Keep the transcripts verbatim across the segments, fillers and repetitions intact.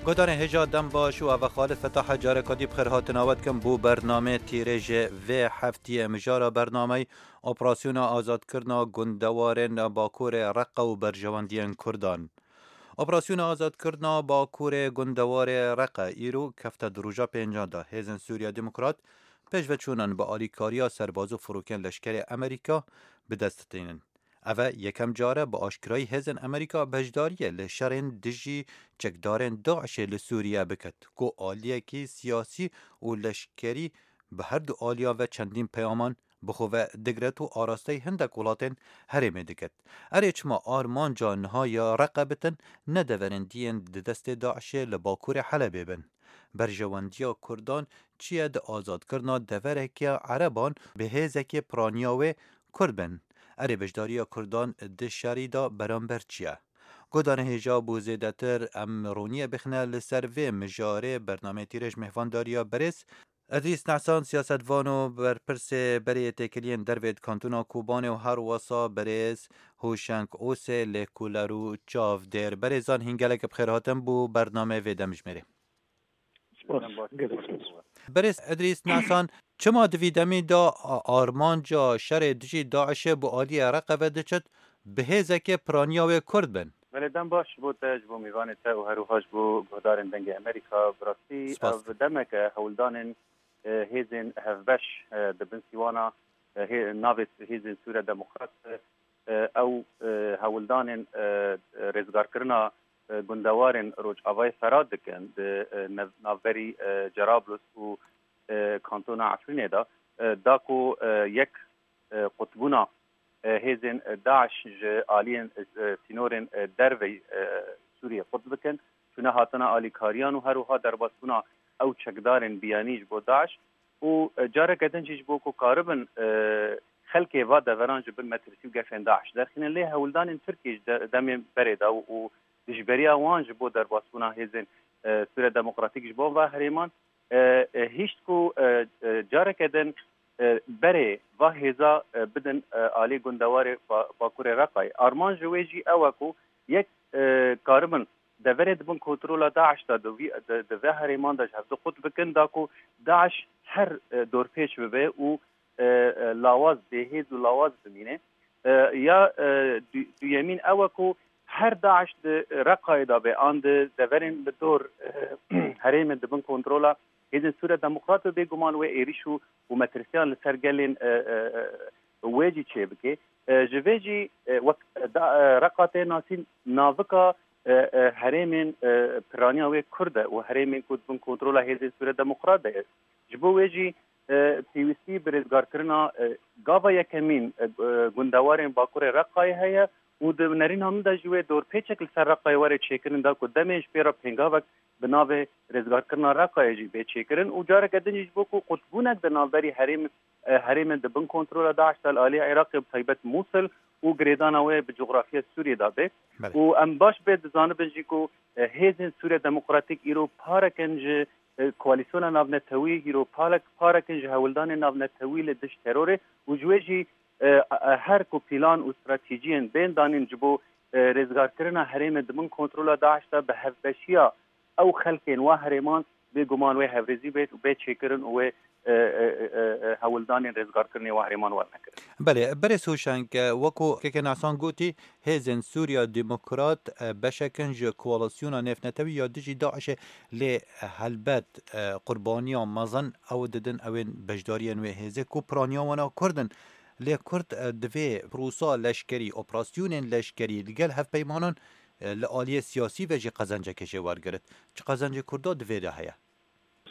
Guhdarên hêja dem baş û eve Xalid Fetah careka dî bi xêr hatina we dikim bo bernameyê tîrê ji vê heftiyê. Mijara bernameyê operasyona azadkirina gundewarên Bakurê Reqa û berjewendiyên Kurdan. Operasyona azadkirina Bakurê gundewarê Reqa îro kefte di roja pêncan de. Hêzên Sûriya Demokrat pêşveçûnan bi alîkariya serbaz û firokên leşkerê Amerîka bi dest tînin. Eve yekem car e bi aşkirayî hêzên Amerîka beşdariyê li şerên dijî çekdarên DAIŞê li Sûriye biket, ku aliyekî siyasî û leşkerî bi her du aliyan ve çendîn peyaman bi xwe ve digret û arasteyî hindek welatên herêmê diket. Erê çima armanca niha ya Reqe bitin, ne deverên diyên di destê DAIŞê li bakurê Helebê bin? Berjewendiya Kurdan çi ye di azadkirina devereke Ereban bi hêzekê piraniya wê Kurd bin? Erê beşdariya Kurdan di şerî de beramber çi ye? Guhdarên hêja bo zêdetir em roniyê bixine li ser vê mijarê bernameyê tîrêj mêhvandariya berêz Edrîs Nehsan, siyasetvan û berpirsê berê yê têkiliyên dervê di Kantona Kobanê û her wesa berêz Hoşeng Osê, lêkoler û çavdêr. Berêzan hîn gelek bi xêr hatin bo bernameyê vê demjimêrê. Spas. Gelek spas. Berêz Edrîs Nehsan, çima di vî demî de a-, armanca şerê dijî DAIŞê bo aliyê Reqe ve diçit, bi hêzekê piraniya wê Kurd bin? Belê, dem baş ji bo te, ji bo mêvanê te û her wiha ji bo guhdarên Dengê Amerîka. Bi rastî Spas. Ev demek e hewldanên, e, hêzên hevbeş, e, di bin sîwana, e, hê-, navê Hêzên Sûriya Demokrat, e, ew, e, hewldanên, e, rêzgarkirina, e, gundewarên Rojavayê Ferat dikin di, e, nev-, navberî, e, Cerablus û, e, kantona Efrînê de, e, da ku, e, yek, e, qutbûna, e, hêzên, e, DAIŞ ji aliyên, e, sînorên, e, derveyî, e, Sûriyê qut bikin, çûne hatina alîkariyan û her wiha derbasbûna ew çekdarên biyanî ji bo DAIŞ û, e, careke din jî ji bo ku karibin, e, xelkê va deveran ji bin metirsî û gefên DAIŞ derxînin. Lê hewldanên Tirkiyê ji de-, demê berê de û, û dijberiya wan ji bo derbasbûna hêzên, e, Sûriya Demokratîk ji bo va herêman, e, e, hişt ku, e, e, careke din, e, berê va hêza, e, bidin, e, alî gundewarê Ba-, Bakurê Reqayê. Armanc ji wê jî ew e ku yek, e, karibin deverê di bin kontrola DAIŞ de di vî, di, di vê herêman de ji hevdu qut bikin, da ku DAIŞ her, e, dorpêç bibe û, e, e, lawaz, bêhêz û lawaz bimîne. E, ya, e, du-, duyemîn ew e ku her DAIŞ di Reqayê de be, an di deverên li dor, e, herêmên di bin kontrola Hêzên Sûriya Demokrat be, bêguman wê êrîş û, û metirsiyan li ser gelên, e, e, e, wê jî çêbike. E, ji vê jî, e, wek da, e, Reqa tê nasîn navika, e, e, herêmên, e, piraniya wê Kurd e û herêmên ku di bin kontrola Hêzên Sûriya Demokrat de ye. Ji bo wê jî, e, pêwîstî bi rêzgarkirina, e, gava yekemîn, e, e, gundewarên Bakurê Reqayê heye û di nerîna min de jî wê dorpêçek li ser Reqayê were çêkirin, da ku demê ji pê re pêngavek bi navê rêzgarkirina Reqayê jî bê çêkirin û careke din jî ji bo ku qutbûnek di navberî herêm, e, herêmên di bin kontrola DAIŞ de li alî Iraqê, bi taybet Mûsil û girêdana wê bi cografya Sûriyê de be. Belê. Û em baş bê dizanibin jî ku, e, hêzên Sûriya Demokratîk îro parek in ji, e, koalîsyona navnetewî, îro parek, parek in ji hewldanên navnetewî li dij terorê û ji wê jî, e, e, her ku plan û stratejiyên bên danîn ji bo, e, rêzgarkirina herêmê di bin kontrola DAIŞ de bi hevbeşiya ew xelkên wa herêman bêguman wê hevrêzî bêt û bê çêkirin û wê, e, e, e, e, hewldanên rêzgarkirinê wa herêman werne kirin. Belê, berê Soşeng, e, wekû Keke Nasan gotî, hêzên Sûriya Demokrat, e, beşek in ji koalîsyona nêvnetewî ya dijî DAIŞê, lê, e, helbet, e, qurbaniya mezin ew didin, ew ên beşdariyên wê hêzê ku piraniya wana Kurd in. Lê Kurd, e, divê prosa leşkerî, operasyonên leşkerî li gel hevpeymanan, e, li aliyê siyasî ve jî qezencekê jê wergirit. Çi qezencê Kurda di vê de heye?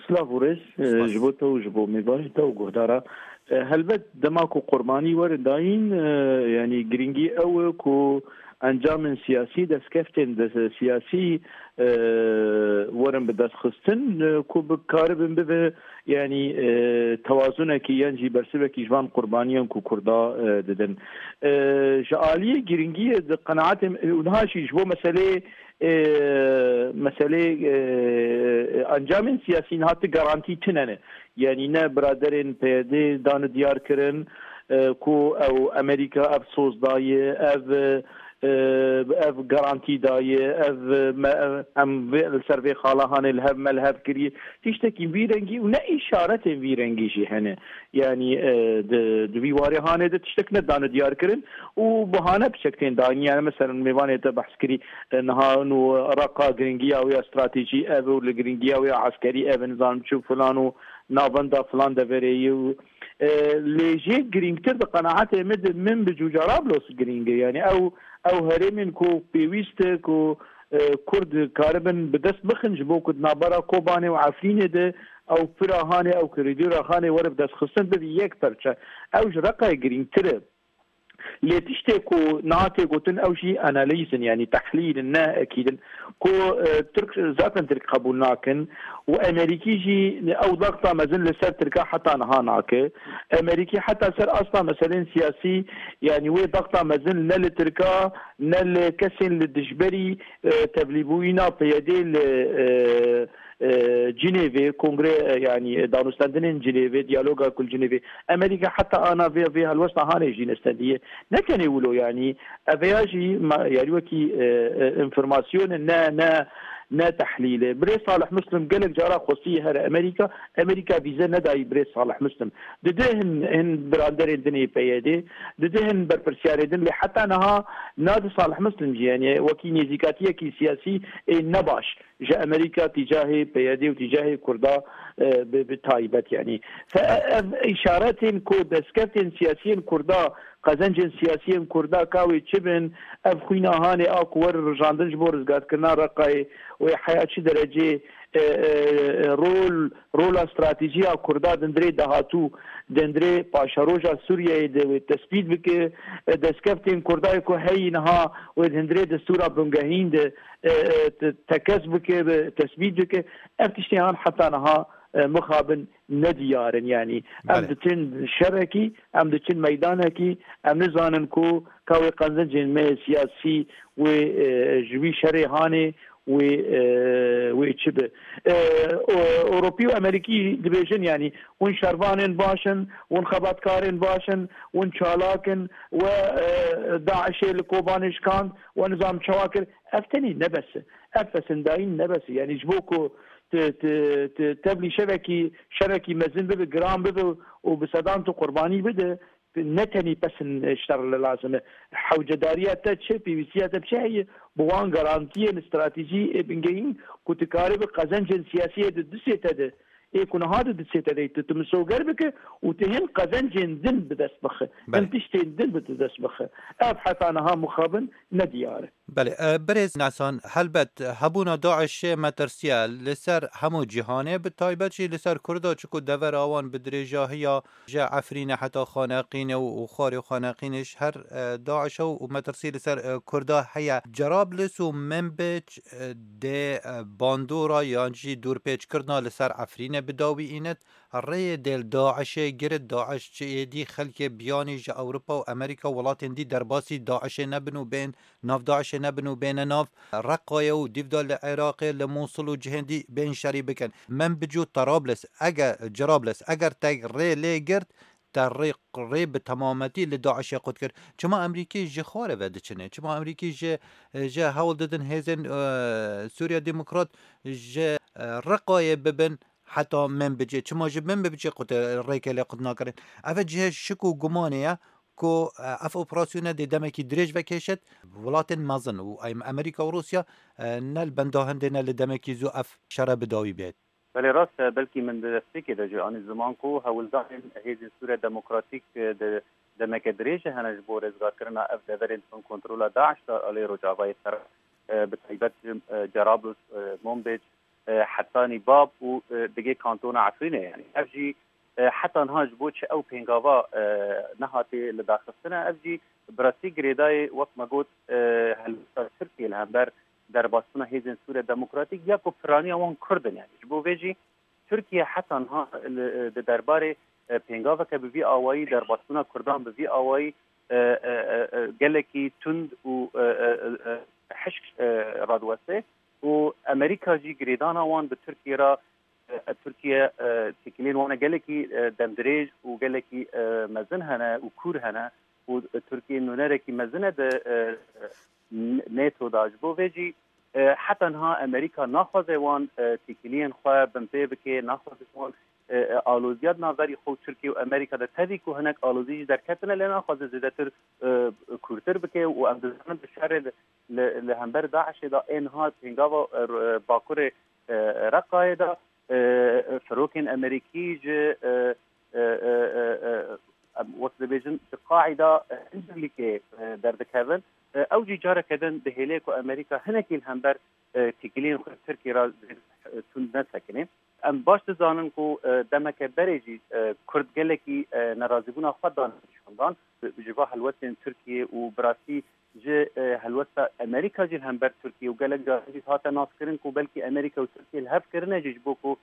Silav û rêz, e, Spas. Ji bo te û ji bo mêvanê te û guhdara. E, helbet dema ku qurbanî werin dayîn, e, yanî girîngî ew e ku encamên siyasî, destkeftên de-, siyasî, e, werin bi dest xistin, e, ku bikaribin bibe, yanî, e, tewazunekî yan jî bersivekî ji van qurbaniyan ku Kurda, e, didin. E, ji aliyê girîngiyê di qenaetê min, û niha jî ji bo meseleyê, e, meselê, e, encamên siyasî niha ti garantî tune ne. Yanî ne biraderên P Y D dane diyar kirin, e, ku ew Amerîka ev soz daye, ev, e, e, ev garantî daye, ev me, em vê, li ser vê xala hanê li hev me li hev kiriye. Tiştekî vî rengî û ne îşaretên vî rengî jî hene. Yanî, e, di, di vî warê hanê de tiştek nedane diyar kirin û bahane piçek tên danî. Yani, mesela, mêvanê te behs kirî, e, niha û Reqa giringiya wê ya stratejî ev û li giringiya wê ya eskerî ev, nizanim çi filan û navenda filan deverê ye û, e, lê jê girîngtir di qenaetê min de Minbic û Cerablos giring e. Yani, ew, ew herêmên ku pêwîst e ku, e, Kurd karibin bi dest bixin ji bo ku di navbera Kobanê û Efrînê de ew pira hanê, ew koridora hanê were bi dest xistin bibe yek perçe. Ew ji Reqayê girîngtir e. Lê tiştê ku niha tê gotin, ew jî analîz in, yanî tehlîl in, ne ekîd in. Ku, e, Tirk, zaten Tirk qebûl nakin û Emerîkî jî ew daxta mezin li ser Tirka heta niha nake. Emerîkî heta ser asta meselên siyasî, yanî wê daxta mezin ne li Tirka, ne li kesên li dijberî, e, tevlîbûyîna P Y D li, e, e, Cinêvê, kongre, e, yanî, e, danûstendinên Cinêvê, diyaloga ku li Cinêvê, Amerîka heta ana vê, vê helwesta hanê jî nestendiye. Ne tenê wilo, yanî, ev ya jî ma, yanî wekî, e, e, înformasyon e, ne, ne, ne tehlîl e. Birêz Salih Muslim gelek cara xwestiye here Amerîka, Amerîka vîze nedayî Birêz Salih Muslim. Dide hin, hin biranderên din ê P Y D, dide hin berpirsiyarê din, lê heta niha nadi Salih Muslim jî, yanî wekî nêzîkatiyekî siyasî ê nebaş ji Amerîka tîcahê P Y D û tîcahê Kurda, e, bi, bi taybet, yanî. Fe-, ev îşaretên ku destkeftên siyasiyên Kurda, qezencên siyasiyên Kurda ka wê çi bin, ev xwîna hanê a ku were rijandin ji bo rizgarkirina Reqayê, wê heya çi derecê, e, e, e, rol, rola stratejî ya Kurda di hundirê dahatû, di hundirê paşeroja Sûriyeyê de wê tespît bike, e, destkeftên Kurda yê ku heyî niha wê di hundirê destûra bingehîn de, e, e, te-, tekez bike, bi, tesbît bike. Ev tiştê han heta niha, e, mixabin nediyar in. Yanî em Belê. diçin şerekî, em diçin meydanekî, em nizanin ku ka wê qezencên me siyasî wê, e, ji wî şerê hanê wê, e, wê çi bi. E, o, Ewropî û Amerîkî dibêjin, yanî hûn şervanên baş in, hûn xebatkarên baş in, hûn çalak in, we, e, DAIŞê li Kobanê şikand, we nizam çawa kir. Ev tenê ne bes e. Ev pesindayîn ne bes e. Yanî ji bo ku tu, tu, tu tevlî şevekî, şerekî mezin bibe, giran bibe û bi sedan tu qurbanî bide, ne tenî pesin şer li lazim e. Hewcedariya te çi, pêwîstiya te bi çi heye? Bi wan garantiyên stratejî ê bingehîn ku tu karî bi qezencên siyasiyê di distê te de, ê ku niha di distê te de, tu, tu misoger bike û tu hin qezencên din bi dest bixe, Belê. hin tiştên din bi tu dest bixe. Ev heta niha mixabin nediyar e. Belê, e, birêz Nesan, helbet hebûna DAIŞê metirsiye li ser hemû cîhanê, bi taybet jî li ser Kurda, çiku devera wan bi dirêjahiya ji Efrînê heta Xaneqînê û, û xwarê Xaneqînê ji her, e, DAIŞ e û metirsî li ser, e, Kurda heye. Cerablus û Minbic, e, dê, e, bandora yan jî dûrpêçkirina li ser Efrînê bi dawî înit. Rêyê dê li DAIŞê girit, DAIŞ çi êdî xelkê biyanî ji Ewropa û Amerîka, welatên dî derbasî DAIŞê nebin û bên nav DAIŞê nebin û bêne nav Reqayê û dîvda li Iraqê, li Mûsil û cihên dî bên şerî bikin. Minbic û Terablus, eger, Cerablus, eger te rê lê girt, te rê, rê bi temametî li DAIŞê qut kir. Çima Amerîkî ji xwarê ve diçine? Çima Amerîkî ji, ji hewl didin hêzên, e, Sûriya Demokrat ji, e, Reqayê bibin heta Minbicê? Çima ji Minbicê qut, rêkê lê qut nakirin? Ev cihê şik û gumanê ye ku, e, ev operasyone dê demekî dirêj vekêşit. Welatên mezin û em, Amerîka û Rûsya, e, ne li benda hindê ne li demekî zû ev şere bi dawî bêt. Belê rast e, belkî min di destpêkê de jî anî ziman ku hewldanên Hêzên Sûriya Demokratîk, e, di demeke dirêj hene ji bo rêzgarkirina ev deverên bin kontrola DAIŞ de alê Rojavayê Serok, e, bi taybet ji, e, Cerablus, e, Monbêc, e, Hetanî Bab û, e, digê kantona Efrînê. Yanî ev jî, e, heta niha ji bo çi ew pêngava, e, nehatê lidarxistine, ev jî bi rastî girêdayê, wek me got, e, helwesta Tirkiyê li hember derbasbûna Hêzên Sûriya Demokratîk ya ku piraniya wan Kurd in. Yanî ji bo vê jî Tirkiye heta niha li, di derbarê, e, pêngaveke bi vî awayî, derbasbûna Kurdan bi vî awayî, e, e, e, e, gelekî tund û, e, e, e, e, hişk, e, radiweste û Amerîka jî girêdana wan bi Tirkiye re, e, Tirkiye, e, têkiliyên wan e gelekî, e, demdirêj û gelekî, e, mezin hene û kûr hene û Tirkiye nûnerekî mezin e di, e, NATO da. Ji bo vê jî, e, heta niha Amerîka naxwaze wan, e, têkiliyên xwe binpê bike, naxwaze wan, e, e, aloziya di navberî xwe û Tirkiye û Amerîka de, tevî ku hinek alozî jî derketine, lê naxwaze zêdetir, e, kûrtir bike û em dizanin di şerê li, li, li hember DAIŞê de ê niha pêngava, e, r-, e, Bakurê, e, Reqayê de, e, e, firokên Amerîkî ji, e, e, e, e, e, em wek dibêjin, ji Qaîda, e, Încirlîkê, e, derdikevin. E, ew jî careke din dihêle ku Amerîka hinekî li hember, e, têkiliyên xwe Tirkiyê re zêde, e, tund nesekine. Em baş dizanin ku, e, demeke berê jî, e, Kurd gelekî, e, nerazîbûna xwe dane nîşandan. Ji va helwestên Tirkiyê û bi rastî ji, e, helwesta Amerîka jî li hember Tirkiyê û gelek caran jî hate naskirin ku belkî Amerîka û Tirkiye li hev kirine jî ji bo ku,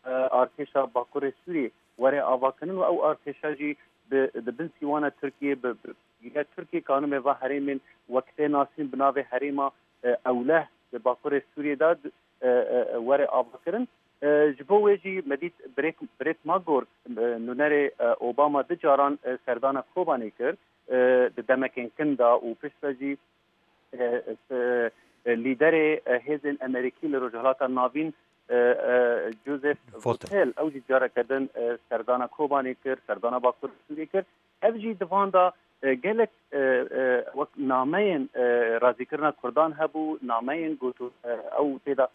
e, artêşa Bakurê Sûriyê were avakirin û ew artêşa jî bi, di bin sîwana Tirkiyê, bi, bi giriya Tirkiyê kanûmê va herêmên wek tê nasîn bi navê herêma, e, Ewleh di Bakurê Sûriyê de, e, e, were avakirin. E, ji bo wê jî me dît birêk-, birêt Magor, e, nûnerê, e, Obama du caran, e, serdana Kobanê kir, e, di demekên kin de û piştre jî, e, e, e, lîderê, e, hêzên Amerîkî li Rojhilata Navîn, e, e, Joseph Votel. Votel, ew jî careke din, e, serdana Kobanê kir, serdana Bakur Sûriyê kir. Ev jî di van de, e, gelek, e, e, wek nameyên, e, razîkirina Kurdan hebû, nameyên goto-, e, ew tê de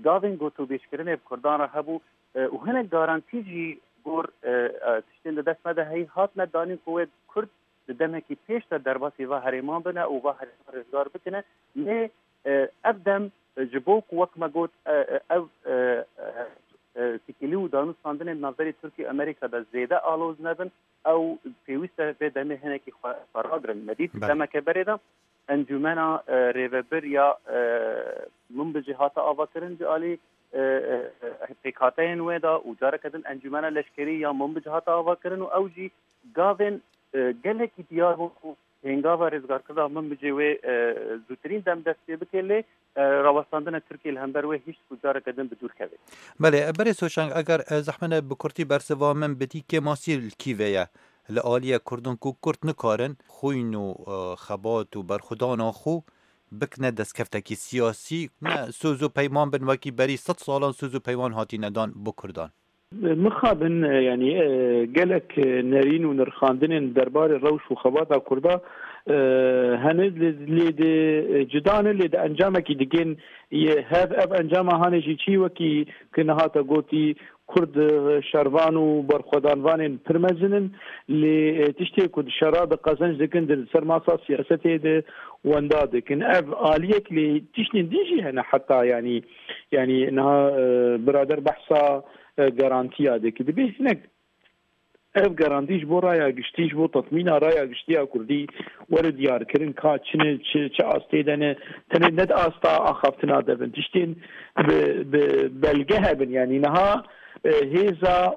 gavên gotûbêjkirinê bi Kurdan re hebû, e, û hinek garantî jî gor, e, e, tiştên di dest me de heyî hatine danîn ku wê Kurd di demekî pêş de derbasî va herêman bine û va herêman rizgar bikine. Lê, e, ev dem, e, ji bo ku wek me got, e, e, ev, e, e, e, têkilî û danûstandinên navberî Tirkiye û Amerîka de zêde aloz nebin, ew pêwîst e vê demê hinekî xwe, xwe ragirin. Me dît Belê. demeke berê de Encûmena, e, Rêvebir ya, e, Minbicê hate avakirin ji alî, e, e, e, pêkhateyên wê de û careke din Encûmena Leşkerî ya Minbicê hate avakirin û ew jî gavên, e, gelekî diyar bûn ku pêngava rêzgarkirina Minbicê wê, e, zûtirîn dem dest pê bike, lê, e, rawestandina Tirkiye li hember wê hişt ku careke din bi dûr keve. Belê, berê Soçang, eger, e, zehmet e bi kurtî bersiva min bidî, kêmasî li kî ve ye? Li aliyê Kurdan ku Kurd nikarin xwîn û, e, xebat û berxwedana xwe bikine destkeftekî siyasî, ne soz û peyman bin wekî berî sed salan soz û peyman hatîne dan bo Kurdan. Mixabin, e, yanî, e, gelek, e, nerîn û nirxandinên derbarê rewş û xebata Kurda, e, hene lê, lê di, e, cida ne, lê di encamekî digên yê hev, ev encama hanê jî çî wekî ki niha te gotî, Kurd, e, şervan û berxwedanvanên pir mezin in, lê, e, tiştê ku di şera de qezenc dikin, di ser masa siyasetê de wenda dikin. Ev aliyek lê tiştên din jî hene heta, yanî, yanî niha, e, birader behsa, e, garantiya dike. Dibê hinek ev garantî ji bo raya giştî, ji bo tetmîna raya giştî ya Kurdî were diyarkirin ka çi ne, çi, çi astê de ne, tenê ne di asta axaftina de bin. Tiştên bi, bi belge hebin. Yanî niha, e, hêza,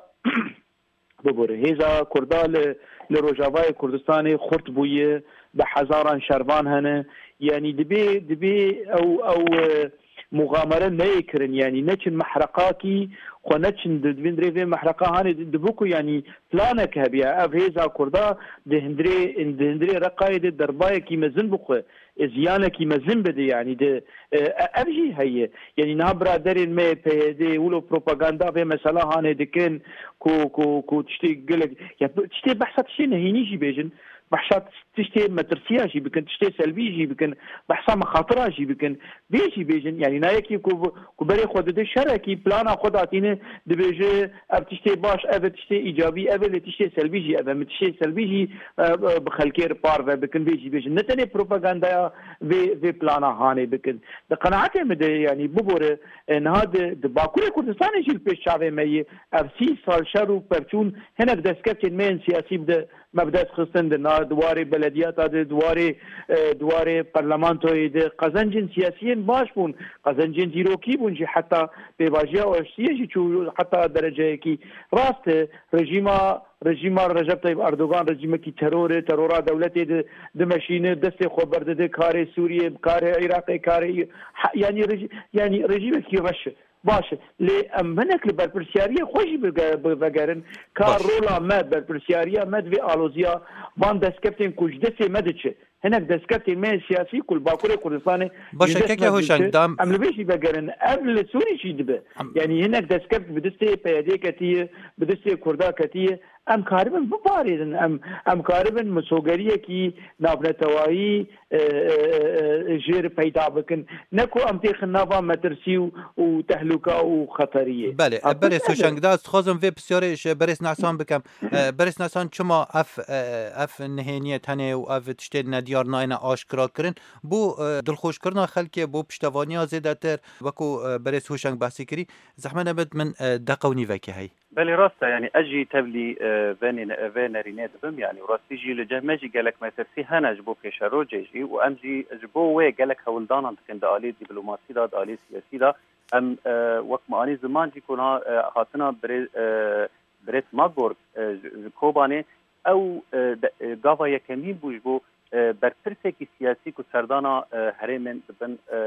bibore, hêza Kurda li, li Rojavayê Kurdistanê xurt bûye, bi hezaran şervan hene. Yanî dibê, dibê ew, ew, e, muxamere neyê kirin, yanî neçin mehreqakî, xwe neçin di, di vîn rê vê mehreqa hanê di, dibi ku, yanî planek hebiya, ev hêza Kurda di hundirê, di hundirê Reqayê de derbayekî mezin bixwe, e, ziyanekî mezin bide, yanî di, e, e, ev jî heye. Yanî niha biraderên me P Y D wilo propaganda vê mesela hanê dikin ku, ku, ku tiştê gelek, ya tiştê behsa tiştê nehînî jî bêjin, behsa tiştê metirsiya jî bikin, tiştê selbî jî bikin, behsa mexatira jî bikin, vê jî bêjin. Yanî nayekî ku, ku berê xwe dide şerekî plana xwe datîne, dibêje ev tiştê baş, ev e tiştê îcabî, ev e lê tiştê selbî jî ev e. Min tiştê selbî jî, e, e, bi xelkê re parve bikin, vê jî bêjin. Ne tenê propagandaya vê, vê plana hanê bikin. Di qenaetê min de, yanî bibore, e, niha di, di Bakurê Kurdistanê jî li pêş çavê me yê. Ev sî sal şer û pevçûn hinek destkeftên me yên siyasî bi de me bi dest xistin di na, di warê belediyata de, di warê, e, di warê parlamentoyê de. Qezencên siyasiyên baş bûn, qezencên dîrokî bûn jî, heta pêvajiya aştiyê jî çû heta dereceyekî. Rast e, rejîma, rejîma Recep Tayyip Erdogan rejîmekî teror e, terora dewletê di, dimeşîne, destê xwe berdide karê Sûriyê, karê Iraqê, karê, ha, yanî reji-, yanî rejîmekî reş e. Baş e. Lê em hinek li berpirsiyariyê xwe jî bige-, bi-, vegerin. Ka Baş. rola me, berpirsiyariya me di vê aloziya van destkeftên ku ji destê me diçe. Hinek destkeftên me siyasî ku li Bakurê Kurdistanê Baş e, keke Hoşeng, dam- em li vê jî vegerin, ev li Sûrî jî dibe. Yanî hinek destkeftî bi destê P Y D ketiye, bi destê Kurda ketiye. Em karibin biparêzin, em, em karibin misogeriyekî navnetewayî, e, e, e, e, jêr peyda bikin. Ne ku em têxin nava metirsî û, û tehlûka û xeteriyê. Belê, e, Berêz Hoşeng, da ez dixwazim vê pisyarê ji Berêz Nesan bikim. E, Berêz Nesan, çima ev, e, ev nihêniye tenê û ev tiştê nediyar nayêne aşkira kirin? Bo, e, dilxweşkirina xelkê, bo piştevaniya zêdetir, wekû, e, Berêz Hoşeng behsî kirî, zehmet nebit min, e, deqe û nîvekê heyî. Belê, rast e, yanî ez jî tevlî, e, vê nê-, vê nerînê dibim, yanî rastî jî li cem me jî gelek metirsî hene ji bo pêşerojê jî û em jî ji bo wê gelek hewldanan dikin di alî dîplomasî de, di alî siyasî de. Em, e, wek me anî ziman jî ku niha, e, hatina birê-, e, Brêt Magor, e, ji, ji Kobanê, ew, e, de, e, gava yekemîn bû ji bo, e, berpirsekî siyasî ku serdana, e, herêmên di bin, e,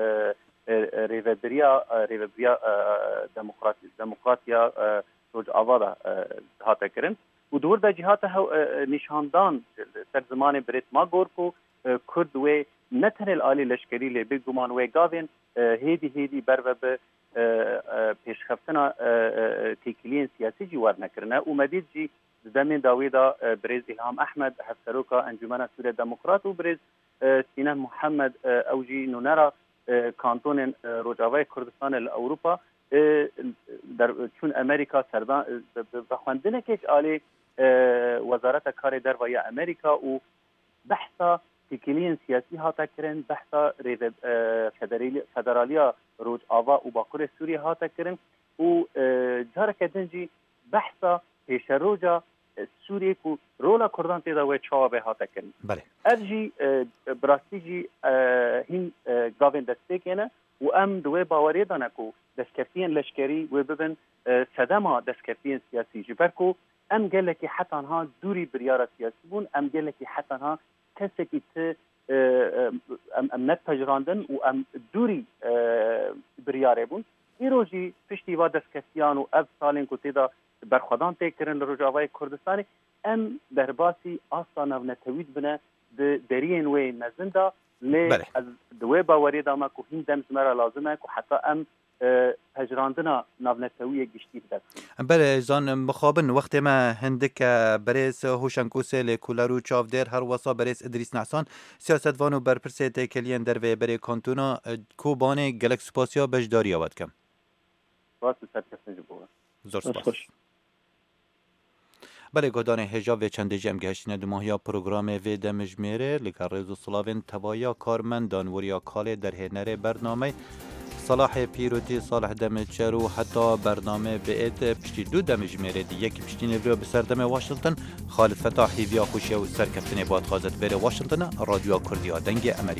e, e, rêvebiriya, e, rêvebiriya, e, demokrat-, demokratiya, e, Rojava de, e, hate kirin. Û di wir de jî hate hew-, e, e, nîşandan li ser zimanê Brêt Magor ku, e, Kurd wê ne tenê li alî leşkerî lê bêguman wê gavên, e, hêdî hêdî berve bi, e, e, pêşxeftina, e, e, e, têkiliyên siyasî jî werne kirine. Û me dît jî di demên dawî de, e, birêz Îlham Ehmed, hevseroka Encûmena Sûriya Demokrat û birêz, e, Sînen Muhammed, e, ew jî nûnera, e, kantonên, e, Rojavayê Kurdistanê li Ewropa, e, der-, çûn Amerîka serdan, e, bi, bi, bi xwendinekê ji alî, e, Wezareta Karê Derve ya Amerîka û behsa têkiliyên siyasî hate kirin, behsa rêve-, e, federali-, federaliya Rojava û Bakurê Sûriyê hate kirin û, e, careke din jî behsa pêşeroja, e, Sûriyê ku rola Kurdan tê de wê çawa bê hate kirin. Belê. Ev jî, e, bi rastî jî, e, hîn, e, gavên destpêkê ne û em di wê baweriyê de ne ku destkeftiyên leşkerî wê bibin, e, sedema destkeftiyên siyasî. Ji ber ku em gelekî heta niha dûrî biryara siyasî bûn, em gelekî heta niha kesekî ti, e, e, em, em nepejirandin û em dûrî, e, biryarê bûn. Îro jî piştî va destkeftiyan û ev salên ku tê de berxwedan tê kirin li Rojavayê Kurdistanê, em derbasî asta navnetewî dibine di deriyên wê mezin de. Lê Belê. Ez di wê baweriyê de me ku hîn dem ji me re lazim e ku heta em, e, pejirandina navnetewî yek giştî bi dest bixin. Belê, zan, mixabin, wextê me hindik e. Berêz Hoşeng Ûsê, lêkoler û çavdêr, her wesa berêz Idrîs Nehsan, siyasetvan û berpirsê têkiliyên derveyê berê kantona, e, Kobanê, gelek spasiya beşdariya we dikim. Spas û serkeftin ji bo we. Zor Dest spas. Xweş. Belê, guhdarên hêja, vê çendê jî em gihiştine dumahiya programê vê demjimêrê. Li gel rêz û silavên tevaya karmendan, weriya kalê derhênerê bernameyê, Salahê Pîrotî, Salih Demîçer û heta bername biêt piştî du demjimêrê di yekî piştî nêvro bi serdemê Washington, Xalid Fetah hêviya xweşiya û serkeftinê bo dixwazet bêre Washington, Radyoya Kurdiya Dengê Amerîka.